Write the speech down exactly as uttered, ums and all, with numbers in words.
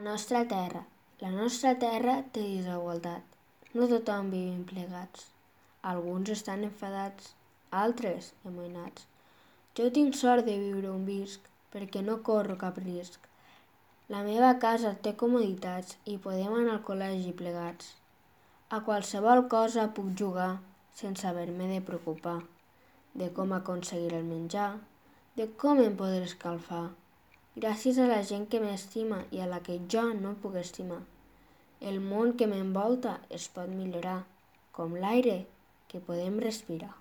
nostra terra. La nostra terra té desigualtat. No tothom vivim plegats. Alguns estan enfadats, altres amoïnats. Jo tinc sort de viure on visc, perquè no corro cap risc. La meva casa té comoditats i podem anar al col·legi plegats. A qualsevol cosa puc jugar sense haver-me de preocupar de com aconseguir el menjar, de com em podré escalfar, gràcies a la gent que m'estima i a la que jo no puc estimar. El món que m'envolta es pot millorar, com l'aire que podem respirar.